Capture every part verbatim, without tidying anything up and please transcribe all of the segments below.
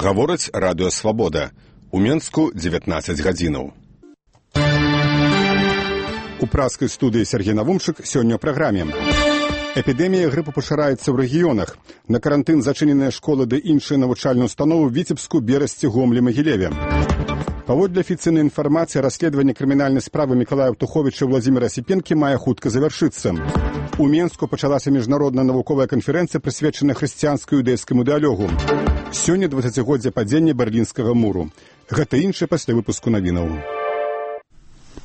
Гаворыць радыё «Свабода». У Менску дзевятнаццаць гадзінаў. У праскай студыі Сергей Навумчык сёння ў праграме. Эпідэмія грыпу пашыраецца ў рэгіёнах. На карантын зачыненыя школы ды іншыя навучальныя установы ў Віцебску, Берасці, Гомлі, Магілеве. Паводле афіцыйнай інфармацыі, расследаванне крымінальнай справы Мікалая Птуховіча і Владзіміра Сіпенкі мае хутка завяршыцца. У Менску пачалася міжнародная навуковая канферэнцыя, прысвечаная хрысціянскай іўдэйскаму дыялогу. Сёння дваццацігоддзе падзення Берлінскага муру. Гэта іншае пасля выпуску навінаў.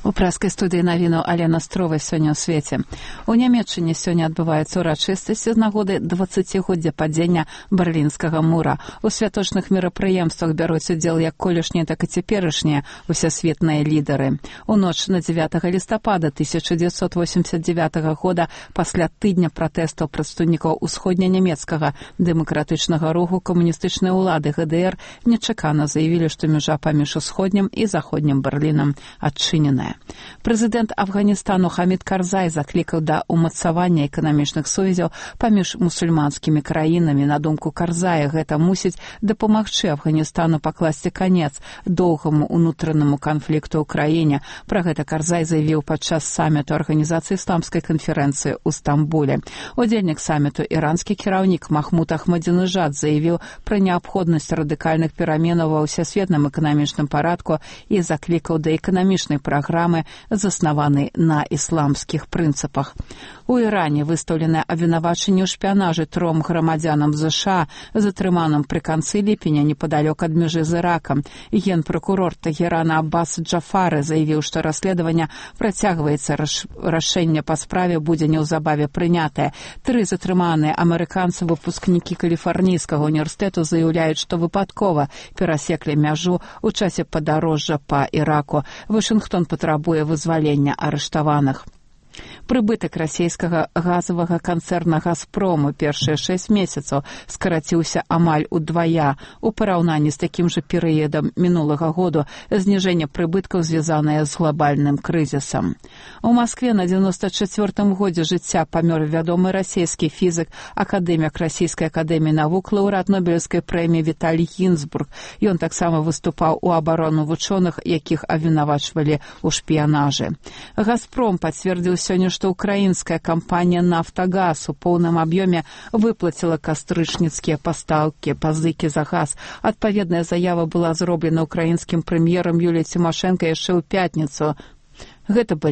У праскай студыі навінаў Алена Строва сёння ў свеце. У Нямецчыне сёння адбываецца ўрачыстасці з нагоды дваццацігоддзя падзення Берлінскага мура. У святочных мерапрыемствах бяруць удзел як колішнія, так і цяперашнія усесветныя лідары. У ноч на дзевятага лістапада тысяча дзевяцьсот восемьдесят девятага года, пасля тыдня пратэстаў прадстаўнікаў усходнянямецкага дэмакратычнага руху, камуністычныя ўлады гэ дэ эр нечакана заявілі, што мяжа паміж усходнім і заходнім Берлінам адчыненая. Прэзідэнт Афганістану Хамід Карзай заклікаў да ўмацавання эканамічных сувязяў паміж мусульманскімі краінамі. На думку Карзая, гэта мусіць дапамагчы Афганістану пакласці канец доўгаму ўнутранаму канфлікту ў краіне. Пра гэта Карзай заявіў падчас саміту Арганізацыі ісламскай канферэнцыі ў Стамбуле. Удзельнік саміту, іранскі кіраўнік Махмуд Ахмадзінежад, заявіў пра неабходнасць радыкальных пераменаў ва ўсесветным эканамічным парадку і заклікаў да эканамічнай праграмы, заснаваны на ісламскіх прынцыпах. У Іране выстаўленае абвінавачанне ў шпіянажы тром грамадзянам ЗША, затрыманым пры канцы ліпеня непадалёк ад мяжы з Іракам. Генпракурор Тагерана Аббас Джафары заявіў, што расследаванне працягваецца, рашэнне па справе будзе неўзабаве прынятае. Тры затрыманыя амерыканцы, выпускнікі Каліфарнійскага універсітэту, заяўляюць, што выпадкова перасеклі мяжу ў часе падарожжа па Іраку. Вашынгтон патрабуе вызвалення арыштаваных. Прыбытак расійскага газавага канцэрна «Газпрому» першыя шэсць месяцаў скараціўся амаль удвая у параўнанні з такім жа перыядам мінулага году. Зніжэнне прыбыткаў звязанае з глобальным крызісам. У Маскве на дзевяноста чацвёртым годзе жыцця памёр вядомы расійскі фізык, акадэмік Расійскай акадэміі навук, лаўрэат Нобелеўскай прэміі Віталій Гінзбург. Ён таксама выступаў у абарону вучоных, якіх абвінавачвалі ў шпіянажы. «Газпром» пацвердзіў сёння, што украінская кампанія «Нафтагаз» у поўным аб'ёме выплаціла кастрычніцкія пастаўкі, пазыкі за газ. Адпаведная заява была зроблена украінскім прэм'ерам Юліяй Цімашэнка яшчэ ў пятніцу. Гэта былі